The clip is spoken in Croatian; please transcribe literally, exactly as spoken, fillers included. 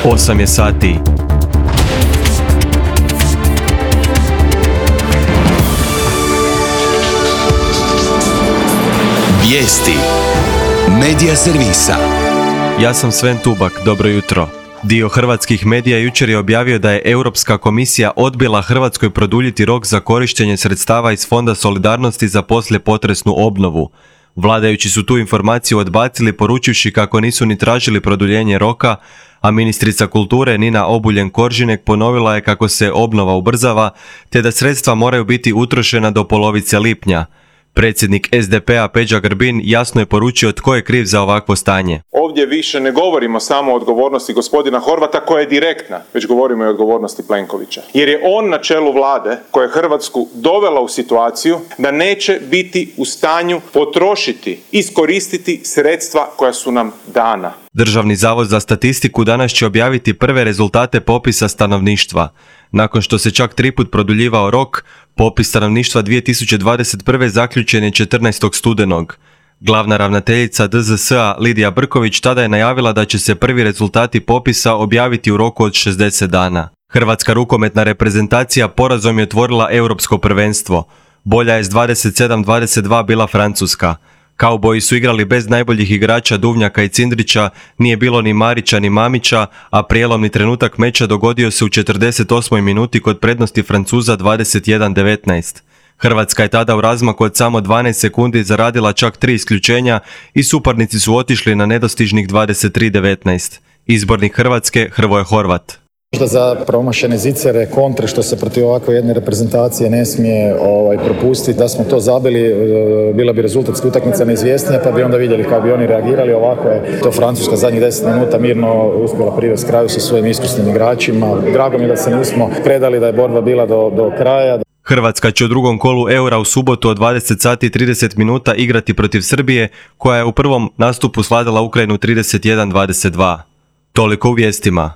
osam je sati. Vijesti Medija servisa. Ja sam Sven Tubak, dobro jutro. Dio hrvatskih medija jučer je objavio da je Europska komisija odbila Hrvatskoj produljiti rok za korištenje sredstava iz Fonda solidarnosti za poslijepotresnu obnovu. Vladajući su tu informaciju odbacili poručivši kako nisu ni tražili produljenje roka, a ministrica kulture Nina Obuljen-Koržinek ponovila je kako se obnova ubrzava, te da sredstva moraju biti utrošena do polovice lipnja. Predsjednik es de pe a Peđa Grbin jasno je poručio tko je kriv za ovakvo stanje. Ovdje više ne govorimo samo o odgovornosti gospodina Horvata koja je direktna, već govorimo i o odgovornosti Plenkovića. Jer je on na čelu vlade koja je Hrvatsku dovela u situaciju da neće biti u stanju potrošiti, iskoristiti sredstva koja su nam dana. Državni zavod za statistiku danas će objaviti prve rezultate popisa stanovništva. Nakon što se čak triput produljivao rok, popis stanovništva dvije tisuće dvadeset prve zaključen je četrnaestog studenog. Glavna ravnateljica de ze es a Lidija Brković tada je najavila da će se prvi rezultati popisa objaviti u roku od šezdeset dana. Hrvatska rukometna reprezentacija porazom je otvorila europsko prvenstvo. Bolja je s dvadeset sedam dvadeset dva bila Francuska. Kauboji su igrali bez najboljih igrača Duvnjaka i Cindrića, nije bilo ni Marića ni Mamića, a prijelomni trenutak meča dogodio se u četrdeset osmoj minuti kod prednosti Francuza dvadeset jedan devetnaest. Hrvatska je tada u razmaku od samo dvanaest sekundi zaradila čak tri isključenja i suparnici su otišli na nedostižnih dvadeset tri devetnaest. Izbornik Hrvatske Hrvoje Horvat. Možda za promašene zicere, kontre što se protiv ovakve jedne reprezentacije ne smije ovaj, propustiti. Da smo to zabili, bila bi rezultatska utakmica neizvjesnija, pa bi onda vidjeli kako bi oni reagirali. Ovako je to Francuska zadnjih deset minuta mirno uspjela privesti kraju sa svojim iskusnim igračima. Drago mi je da se nismo predali, da je borba bila do, do kraja. Hrvatska će u drugom kolu Eura u subotu od dvadeset sati i trideset minuta igrati protiv Srbije, koja je u prvom nastupu svladala Ukrajinu trideset jedan dvadeset dva. Toliko u vijestima.